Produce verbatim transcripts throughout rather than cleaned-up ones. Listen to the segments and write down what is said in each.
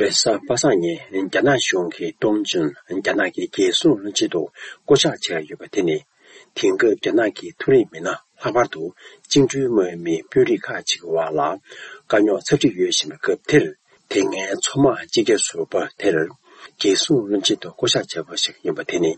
རེས་གཟའ་པ་སངས་ཉིན་རྒྱ་ནག་གཞུང་གིས་ཏོང་ཅུན་རྒྱ་ནག་གི་རྒྱལ་སྲུང་བློན་ཆེན་དུ་བསྐོ་གཞག་བྱས་ཡོད་པ་དེ་ནི། དེང་སྐབས་རྒྱ་ནག་གི་མཐོ་རིམ་མི་སྣ་ལྷག་པར་དུ་བཅིངས་འགྲོལ་དམག་མིའི་དཔོན་རིགས་ཁག་ཅིག་གི་བར་ལ་དཀའ་རྙོག་ཚབས་ཆེ་ཡོད་བཞིན་པའི་སྐབས་དེར། དེ་སྔའི་མཚོ་དམག་སྤྱི་རྒྱ་ཟུར་པ་དེར་རྒྱལ་སྲུང་བློན་ཆེན་དུ་བསྐོ་གཞག་བྱས་པ་ཞིག་ཡིན་པ་དེ་ནི།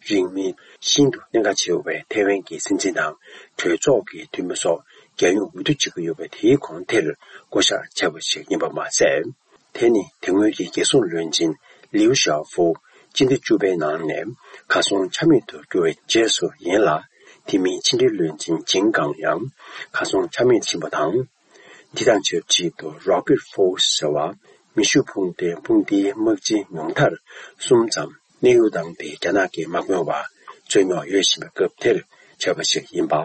རིང་མིན་ཤིན་ཏུ་གནད་འགག་ཆེ་བའི་ཐའེ་ཝན་གྱི་སྲིད་འཛིན་དང་གྲོས་ཚོགས་ཀྱི་འཐུས་མི་སོགས་རྒྱལ་ཡོངས་འོས་བསྡུ་བྱེད་ཀྱི་ཡོད་པའི་དེའི་གོང་དེར་བསྐོ་གཞག་བྱས་པ་ཞིག་ཡིན་པ་མ་ཟད། དེ་ནི་དེ་སྔོན་གྱི་རྒྱལ་སྲུང་བློན་ཆེན་ལིའུ་ཞའོ་ཧྥུ་སྤྱི་ཟླ་བཅུ་པའི་ནང་ནས་གར་སོང་ཆ་མེད་དུ་གྱུར་བའི་རྗེས་སུ་ཡིན་ལ། དེ་མིན་ཕྱི་འབྲེལ་བློན་ཆེན་ཇིང་ཀང་ཡང་གར་སོང་ཆ་མེད་ཕྱིན་པ་དང་། འདི་དང་ཆབས་ཅིག་ཏུ་Rocket Force ཟེར་བ་མེ་ཤུགས་འཕུར་མདེལ་དཔུང་སྡེའི་དམག་སྤྱི་ཉུང་མཐར་གསུམ་ཙམ་གནས་དབྱུང་བཏང་སྟེ། རྒྱ་ནག་གིས་མ་དགོས་པར་རྩོད་རྙོག་ཡོད་བཞིན་པའི་སྐབས་དེར་བྱས་པ་ཞིག་ཡིན་པ་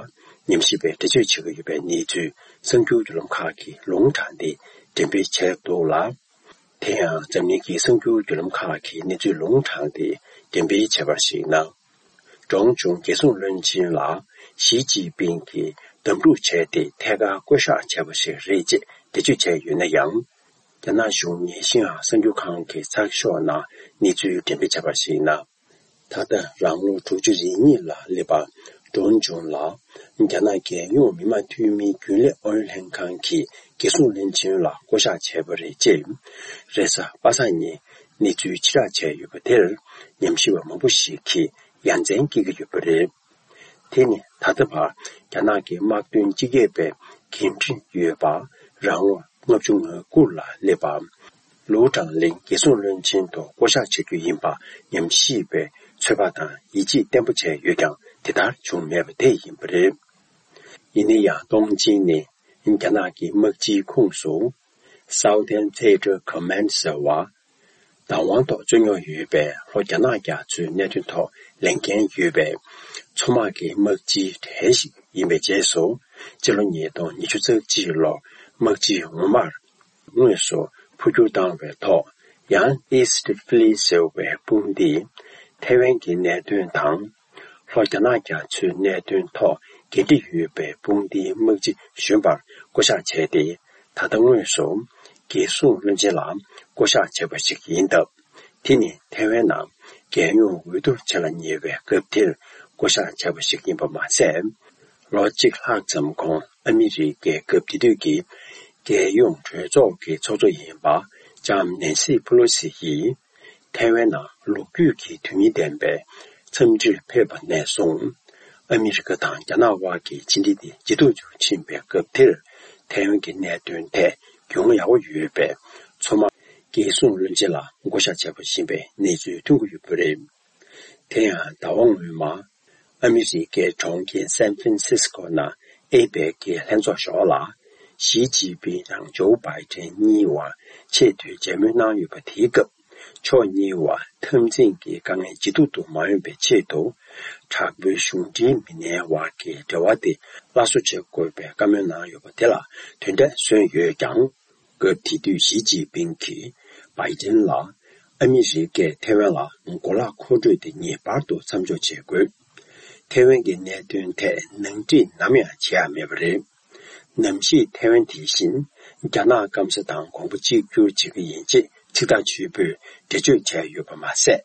ཉམས་ཞིབ་པས་འགྲེལ་བརྗོད་བྱེད་ཀྱི་ཡོད་པའི་གནས་ཚུལ་གསར་འགྱུར་བརྒྱུད་ལམ་ཁག་གིས་ལུང་དྲངས་ཏེ་འགྲེམས་སྤེལ་བྱས་འདུག་ལ། དེ་ཡང་འཛམ་གླིང་གི་གསར་འགྱུར་བརྒྱུད་ལམ་ཁག་གིས་གནས་ཚུལ་ལུང་དྲངས་ཏེ་འགྲེམས་སྤེལ་བྱས་པར་གཞིགས་ན། ཀྲོང་ཅུང་རྒྱལ་སྲུང་བློན་ཆེན་ལ་ཞི་ཅིན་ཕིང་གིས་བདམས་ཐོན་བྱས་ཏེ་ཐད་ཀར་བསྐོ་གཞག་བྱས་པ་ཞིག་རེད་ཅེས་འགྲེལ་བརྗོད་བྱས་ཡོད་ན་ཡང་། རྒྱ་ནག་གཞུང་ཉེ་ཤིང་ཨ་གསར་འགྱུར་ཁང་གི་ཚགས་ཤོག་ནང་གནས་ཚུལ་འགྲེམས་སྤེལ་བྱས་པར་གཞིགས་ན། ད་ལྟ་རང་ལོ་དྲུག་ཅུ་རེ་གཉིས་ལ་སླེབས་པ་ཀྲོང་ཅུང་ལ་རྒྱ་ནག་རྒྱལ་ཡོངས་མི་དམངས་འཐུས་མིའི་རྒྱུན་ལས་ཨུ་ཡོན་ལྷན་ཁང་གི་རྒྱལ་སྲུང་བློན་ཆེན་ལ་བསྐོ་གཞག་བྱས་པ་རེད་ཅེས། རེས་གཟའ་པ་སངས་ཉིན་གནས་ཚུལ་ཕྱིར་བསྒྲགས་བྱས་ཡོད་པ་དེར་ཉམས་ཞིབ་པ་མང་པོ་ཞིག་གིས་ཡ་མཚན་སྐྱེ་གི་ཡོད་པ་རེད། དེ་ནི་ད་ལྟ་བར་རྒྱ་ནག་གི་དམག་དོན་སྤྱི་ཁྱབ་པའི་འགན་འཁྲི་ཡོད་པ། རང་ལོ་ལྔ་བཅུ་ང་དགུ་ལ་སླེབས་པ། ལུའུ་ཀྲང་ལིང་རྒྱལ་སྲུང་བློན་ཆེན་དུ་བསྐོ་གཞག་བྱ་རྒྱུ་ཡིན་པ་ཉམས་ཞིབ་པས་ཚོད་དཔག་དང་ཡིད་ཆེས་བརྟན་པོ་བྱས་ཡོད་ཀྱང་། དེ་ལྟར་བྱུང་མེད་པ་དེ་ཡིན་པ་རེད། ཡིན་ན་ཡང་ཏོང་ཅིན་ནི་རྒྱ་ནག་གི་དམག་སྤྱིའི་ཁོངས་སུ་Southern Theater Command ཟེར་བ། བདག་དབང་ཐོག་རྩོད་རྙོག་ཡོད་པའི་ལྷོ་རྒྱ་ནག་རྒྱ་མཚོའི་གནད་དོན་ཐོག་ལས་འགན་ཡོད་པའི་མཚོ་དམག་གི་དམག་སྤྱིའི་གྲས་ཤིག་ཡིན་པའི་རྗེས་སུ། སྤྱི་ལོ་ཉིས་སྟོང་ཉི་ཤུ་རྩ་གཅིག་ལོར་དམག་སྤྱི་ངོ་མར་དངོས་སུ་འཕོ་འགྱུར་བཏང་བའི་ཐོག་ཡང་East Fleet ཟེར་བའི་དཔུང་སྡེས་ཐའེ་ཝན་གྱི་གནད་དོན་དང་། ལྷོ་རྒྱ་ནག་རྒྱ་མཚོའི་གནད་དོན་ཐོག་འགན་འཁྲི་ཡོད་པའི་དཔུང་སྡེའི་དམག་སྤྱི་གཞོན་པར་བསྐོ་གཞག་བྱས་ཏེ། ད་ལྟ་དངོས་སུ་རྒྱལ་སྲུང་བློན་ཆེན་ལ་བསྐོ་གཞག་བྱས་པ་ཞིག་ཡིན་སྟབས། དེ་ནི་ཐའེ་ཝན་ནང་རྒྱལ་ཡོངས་འོས་བསྡུ་བྱེད་ལ་ཉེ་བའི་སྐབས་དེར་བསྐོ་གཞག་བྱས་པ་ཞིག་ཡིན་པ་མ་ཟད། ལོ་གཅིག་ལྷག་ཙམ་གོང་ཨ་མི་རི་ཀའི་སྐབས་དེ་དུས་ཀྱི་རྒྱལ་ཡོངས་གྲོས་ཚོགས་ཀྱི་ཚོགས་གཙོ་ཡིན་པ་ལྕམ་ནན་སི་ཕུ་ལོ་སི་ཡིས། ཐའེ་ཝན་ནང་ལོ་རྒྱུས་ཀྱི་དོན་སྙིང་ལྡན་པའི་འཚམས་འདྲིར་ཕེབས་པ་ནས་བཟུང་། ཨ་མི་རི་ཀ་དང་རྒྱ་ནག་དབར་གྱི་ཕྱི་འབྲེལ་དེ་ཇེ་སྡུག་ཏུ་ཕྱིན་པའི་སྐབས་དེར། ཐའེ་ཝན་གྱི་གནད་དོན་ཐད་རྒྱུས་མངའ་ཡག་པོ་ཡོད་པའི་མཚོ་དམག་རྒྱལ་སྲུང་བློན་ཆེན་ལ་བསྐོ་གཞག་བྱས་པ་ཡིན་པའི་གནས་ཚུལ་ཐོན་གྱི་ཡོད་པ་རེད། དེ་ཡང་ཟླ་བ་སྔོན་མ། ཨ་མི་རི་ཀའི་གྲོང་ཁྱེར་སན་ཧྥན་སིས་ཀོ་ནང་ཨེ་པེག་གི་ལྷན་ཚོགས་ཞོར་ལ། ཞི་ཅིན་ཕིང་དང་ཇོ་བྷའི་ཏན་གཉིས་བར་ཆེས་མཐོའི་མཇལ་མོལ་གནང་ཡོད་པ་དེའི་སྐབས། ཕྱོགས་གཉིས་བར་འཐབ་འཛིང་གི་དཀའ་ངལ་ཇེ་སྡུག་ཏུ་མ་ཡོང་བའི་ཆེད་དུ། དྲག་པོའི་གཞུང་འབྲེལ་མི་སྣའི་བར་གྱི་འབྲེལ་བ་དེ་སླར་གསོ་བྱེད་དགོས་པའི་བཀའ་མོལ་གནང་ཡོད་པ་དེ་ལ་དོན་འབྲས་སོན་ཡོད་ཀྱང་། སྐབས་དེ་དུས་ཞི་ཅིན་ཕིང་གིས་བྷའི་ཏན་ལ། ཨ་མི་རི་ཀས་ཐའེ་ཝན་ལ་གོ་ལག་མཁོ་སྤྲོད་དེ་ངེས་པར་དུ་མཚམས་འཇོག་བྱེད་དགོས། ཐའེ་ཝན་གྱི་གནད་དོན་ཐད་ནང་འགྲིག་ནམ་ཡང་བྱེད་ཡ་མེད་པ་རེད། ནམ་ཞིག་ཐའེ་ཝན་དེ་བཞིན་རྒྱ་ནག་སྐམ་ས་དང་གོང་བུ་གཅིག་གྱུར་བྱེད་ཀྱི་ཡིན་ཅེས་ཚིག་ཐག་ཆོད་པོས་འགྲེལ་བརྗོད་བྱས་ཡོད་པ་མ་ཟད།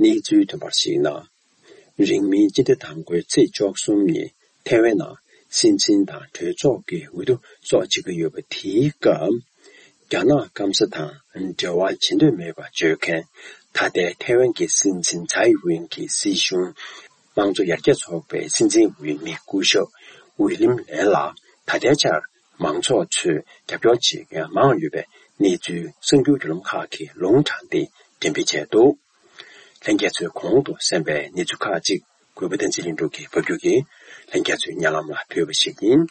གནས་ཚུལ་ཐོན་པར་གཞིགས་ན། རིང་མིན་སྤྱི་ཟླ་དང་པོའི་ཚེས་བཅུ་གསུམ་ཉིན་ཐའེ་ཝན་ནང་སྲིད་འཛིན་དང་གྲོས་ཚོགས་ཀྱི་འོས་བསྡུ་སོགས་བྱེད་ཀྱི་ཡོད་པ་དེའི་སྐབས། རྒྱ་ནག་སྐམ་ས་དང་འབྲེལ་བ་བྱེད་འདོད་མེད་པ་བརྗོད་མཁན། ད་ལྟའི་ཐའེ་ཝན་གྱི་སྲིད་འཛིན་ཚའེ་ཝེན་གྱི་སྲིད་གཞུང་། དམངས་གཙོ་ཡར་རྒྱས་ཚོགས་པའི་སྲིད་འཛིན་འོས་མི་སྐུ་ཞབས་ཝི་ལིམ་ལན་ལ་ད་ལྟའི་ཆར་མང་ཚོགས་ཚོས་རྒྱབ་སྐྱོར་བྱེད་མཁན་མང་ཡོད་པའི་གནས་ཚུལ་གསར་འགྱུར་བརྒྱུད་ལམ་ཁག་གིས་ལུང་དྲངས་ཏེ་འགྲེམས་སྤེལ་བྱས་འདུག་ལྷན་རྒྱས་ཚོས་གོང་དུ་གསན་པའི་གནས་ཚུལ་ཁག་ཅིག་གུས་པ་བསྟན་འཛིན་ལྷུན་གྲུབ་ཀྱིས་ཕབ་སྒྱུར་གྱིས་ལྷན་རྒྱས་ཚོའི་སྙན་ལམ་ལ་ཕུལ་བ་ཞིག་ཡིན།